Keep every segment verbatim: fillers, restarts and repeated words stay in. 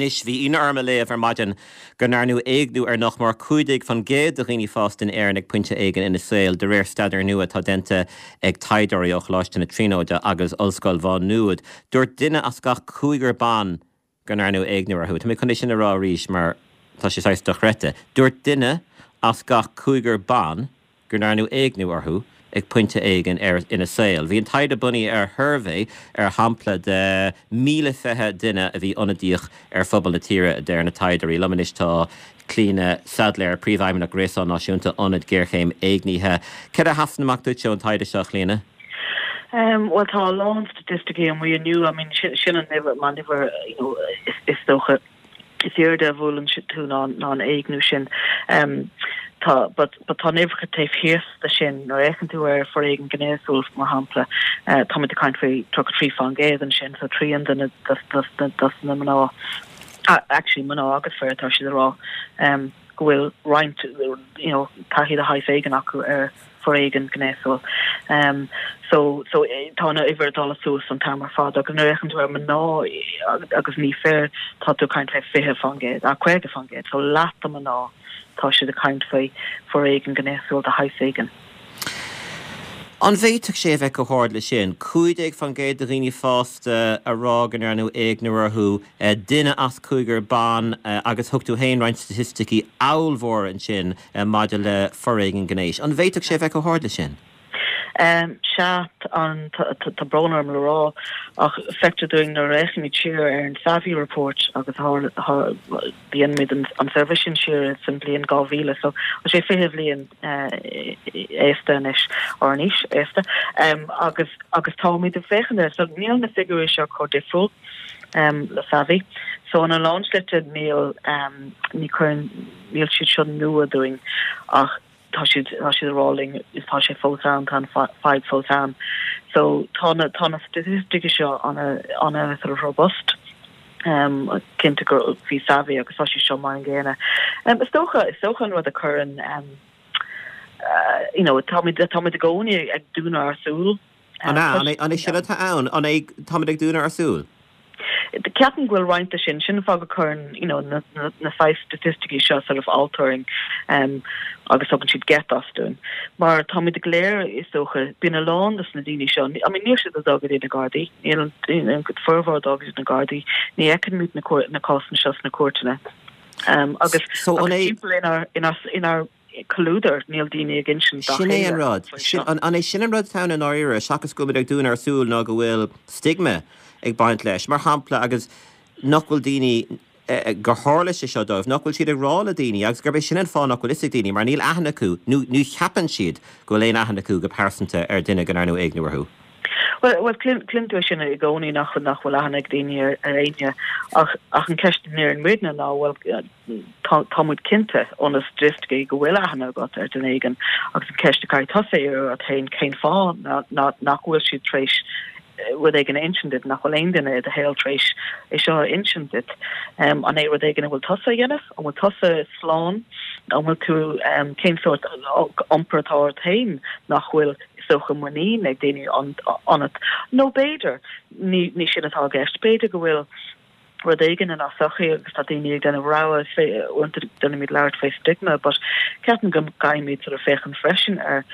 Anois, bhí ionadh orm a léamh ar maidin go ndearnadh éigniú ar nach mór cúig déag faoin gcéad de dhaoine fásta in Éirinn ag pointe éigin ina saol, de réir staidéir nua atá déanta ag taighdeoirí ó Choláiste na Tríonóide agus Ollscoil Mhá Nuad. Dúirt duine as gach cúigear ban go ndearnadh éigniú orthu. Tá mé chun é sin a rá arís mar tá sé saghas dochreidte. Dúirt duine as gach cúigear ban go ndearnadh éigniú orthu ag pointe éigin ar ina saol. Bhí an taighde bunaithe ar shuirbhé ar shampla de míle fiche duine a bhí ionadaíoch ar phobal na tíre a deir na taighdeoirí. Liom anois tá Clíona Saidléar, Príomhfheidhmeannach Gréasán Náisiúnta Ionad Géarchéim Éignithe. Céard a sheasann amach duit ón taighde seo, Clíona? Um, well tá a lán staitisticí amuigh inniu I mean sin, sin an uimhir man uimhir you know, is, is dócha is airde a bhuaileann tú ná ná an éigniú sin. Um, tá but but tá uimhreacha taobh thiar de sin nuair a fhéachann tú ar foréigean gnéasúil mar shampla uh, tá ag caint faoi tríocha trí faoin gcéad ansin so trian de dos na mná uh, actually mná agus fir tá siad rá um, go bhfuil roinnt you know taithí de shaghas éigin acu ar foréigean gnéasúil. Um, so so eh, tá na uimhir dul suas an t-am ar fad agus nuair a fhéachann tú ar mná agus ní fir tá tú caint fé fiche faoin gcéad a caoga faoin gcéad so leath de mná tá siad ag caint faoi foréigean gnéasúil de shaghas éigin. An bhféadfadh sé a bheith chomh hard le sin, cúig déag faoin gcéad de dhaoine fásta a rá go ndearnadh éigniú orthu eh, duine as cúigear ban eh, agus thug tú féin roinnt staitisticí ollmhór ansin eh, maidir le foréigean gnéis. An bhféadfadh sé a bheith chomh hard le sin? Um, Sea an tá brón orm le rá ach feictear dúinn nuair a fhéachaimid siar ar an Savvy report agus dhéanamar an suirbhé sin siar san bliain dhá mhíle so sé fiche bliain aosta anois or níos aosta um, agus agus táimid ag féachaint so níl na figiúirí seo chomh difriúil um, le Savvy so an lán slite níl um, ní chuireann níl siad seo nua dúinn ach tá siad tá siad rolling is tá sé fós ann tá fadhb fós ann so tá na tá na staitisticí seo an an sort of robust um cinnte go bhí Savvy agus tá sé seo mar an gcéanna um is dócha is dócha an rud a chuireann um uh, you know tá tá i gcónaí ag dúnadh ár súl An an é sin atá ann an é tá ag dúnadh ár súl? Ceapaim go bhfuil roinnt sin sin fáth go gcuireann you know na na, na five staitisticí seo sort of altering um agus tugann siad geit as dúinn mar táimid go léir is dócha bíonn a lán des na daoine seo I mean níl siad ag dul go dtí na Gardaí níl an formhór dul go dtí na Gardaí ní fheicimid na na cásanna seo sna cúirteanna um agus so an é inár inár inár comhluadar níl daoine ag insint Sin é an rud an é sin an rud atá in áirithe seachas go ag dúnadh ár súl ná go bhfuil stigma ag baint leis mar shampla agus nach bhfuil daoine eh, gur tharla sé seo dóibh nach bhfuil siad ag rá le daoine agus gurb é sin an fáth nach bhfuil fhios ag daoine mar níl aithne acu nó ní cheapann siad go bhfuil aon aithne acu go pearsanta ar duine go ndearnadh éigniú orthu. Well well cluin tú sin i gcónaí nach nach bhfuil aithne ag daoine ar ar éinne ach ach an ceist ar an muidne ná well tá muid cinnte ó na staitisticí go bhfuil aithne agat ar duine éigin agus an ceist a tusa ar féin cén fáth nach bhfuil siad tar éis rud éigin a insint duit nach bhfuil aon duine i do shaol tar éis é seo a insint duit um, an é rud éigin a bhfuil tusa a dhéanamh an bhfuil tusa slán an bhfuil tú um, cén sórt iompar atá ort féin nach bhfuil socha muinín ag daoine ionat nó b'fhéidir ní ní sin atá i gceist b'fhéidir go bhfuil rud éigin in sochaí agus tá daoine ag déanamh rogha déanaimid labhairt fé stigma, but ceapaim go gcaithfimid sort of féachaint freisin ar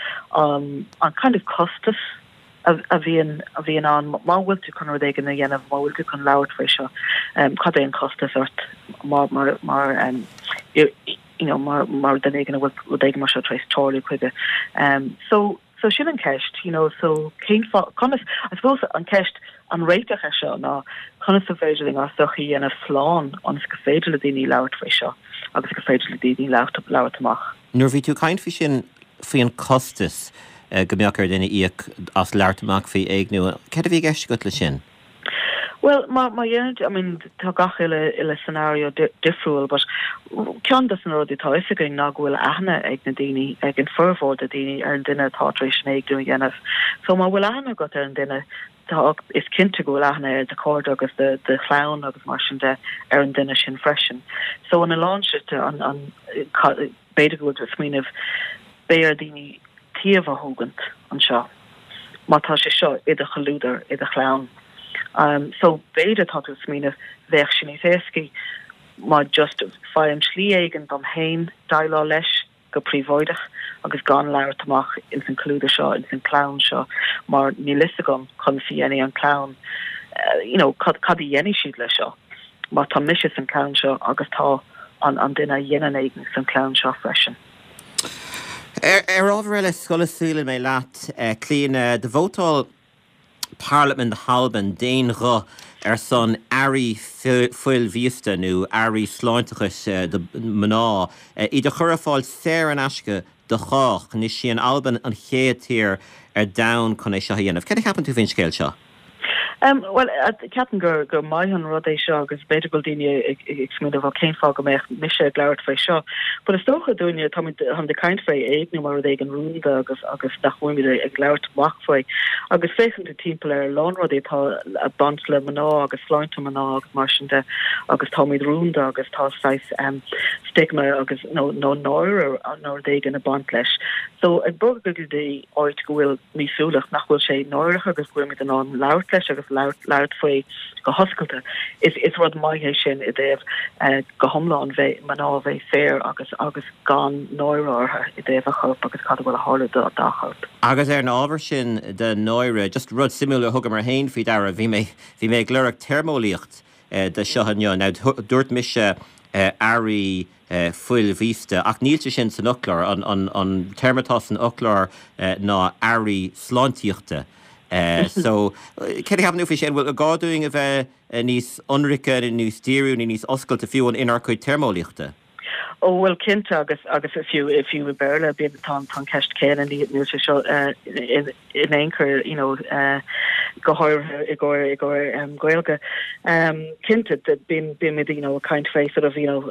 um, an kind of costas a bhíonn a bhíonn ann má bhfuil tú chun rud éigin a dhéanamh má bhfuil tú chun labhairt faoi seo um, cad é an costas ort mar mar mar um, you know mar mar duine éigin a bhfuil rud éigin mar seo tar éis tarlú chuige um, so so sin an ceist you know so cén conas I suppose an ceist an réiteach é seo ná conas is féidir linn ár sochaí a dhéanamh slán ionas go féidir le daoine labhairt faoi seo agus go féidir le daoine labhairt labhairt amach. Nuair bhí tú caint faoi sin faoi an costas eh, go mbeadh ar duine íoc as labhairt amach faoi éigniú, Céard a bhí i gceist agat le sin? Well má má dhéanamh I mean tá gach uile uile scenario di difriúil, but ceann de na rudaí atá fhios againn ná go bhfuil aithne ag na daoine ag an formhór de daoine ar an duine atá tar éis an éigniú a dhéanamh. So má bhfuil aithne agat ar an duine tá is cinnte go bhfuil aithne ar do chairde agus de de chlann agus mar sin de ar an duine sin freisin. So an lán an an b'fhéidir go bhfuil smaoineamh beidh ar daoine taobh a thógaint anseo. Má tá sé seo i do chomhluadar i do chlann Um, so b'fhéidir tá tú ag smaoineamh bheadh sé níos éascaí má just faighim slí éigin dom féin déileáil leis go príobháideach agus gan labhairt amach ins an comhluadar seo ins an clann seo mar níl fhios agam conas a dhéanfaidh an clann uh, you know, cad, cad a dhéanfaidh siad leis seo má tá mise san clann seo agus tá an, an duine a dhéanann éigniú san clann seo freisin. Ar, ar ábhar eile sula scaoilfidh mé leat uh, Clíona do vótáil Parlaimint na hAlban d'aon ghuth ar son earraí fuil mhíosta nó earraí sláinteachais eh, do mná eh, iad a chur ar fáil saor in aisce do chách anois í an Albain an chéad tír ar domhan chun é seo a dhéanamh. Cad a cheapann tú faoin scéal seo? Um, well ceapaim gur gur maith an rud é seo agus b'fhéidir go daoine ag smaoineamh cén fáth go mbeadh mise ag labhairt faoi seo. But is dócha dúinne tá han de caint faoi éigniú mar rud éigin rúnda agus agus nach bhfuilimid ag labhairt amach faoi. Agus féachann tú timpeall ar lán rudaí atá ag baint le mná agus sláinte mná agus mar sin de agus táimid rúnda agus tá saghas um, stigma agus nó nó náire nó rud éigin ag baint leis. So ag bogadh go dtí áit go bhfuil míosúlacht nach bhfuil sé náireach agus go bhfuilimid in ann labhairt leis agus labhairt faoi go hoscailte. Is is rud maith é sin i dtaobh uh, go hiomlán bheith mná bheith saor agus agus gan náire orthu i dtaobh a chorp agus cad bhfuil ag tarlú dá dá chorp. Agus ar an ábhar sin de náire, just rud suimiúil a thugamar féin faoi deara bhí mé bhí mé ag lorg téarmeolaíocht eh, de seo inniu. Now dúirt mise eh, earraí eh, fuil mhíosta ach níl sé sin san fhoclóir an, an, an téarma atá san fhoclóir eh, ná earraí sláintíochta. Uh, so cé cheapann tú faoi sin bhfuil gá dúinn a bheith níos ionraice níos dírí nó níos oscailte fiú an inár gcuid téarmeolaíochta. Ó bhfuil cinnte agus agus fiú fiú i Béarla bíonn tá an ceist céanna níl sé seo uh, in in aon chor you know uh, go háirithe i gcomhair i gcomhair um, Gaeilge. Um, cinnte bíonn bíonn you know kind faoi sort of you know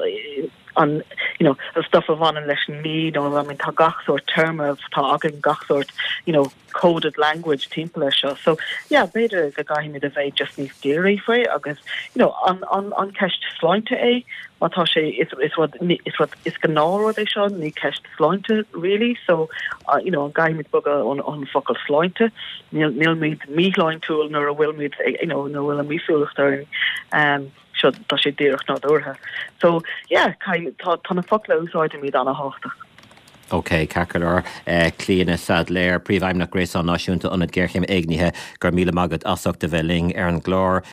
an you know the stuff a bhaineann leis an mí nó I mean tá gach sórt téarma tá againn gach sórt you know coded language timpeall air seo so yeah b'fhéidir go gcaithfimid a bheith just níos dírí faoi agus you know an an an ceist sláinte é má tá sé is is rud is rud is gnáthrud é seo ní ceist sláinte really so uh, you know an gcaithfimid bogadh an an focal sláinte níl nílimid míshláintiúil nuair a bhfuilimid you know nó bhfuil an míosúlacht orainn um seo tá sé díreach nádúrtha. So yeah, tá tá na focla a úsáidimid an-tábhachtach. Ok, Ceacalar Clíona Saidléir, Príomhfheidhmeannach Gréasán Náisiúnta Ionad Géarchéime Éignithe gur míle maith agat as ucht a bheith linn ar an gclár.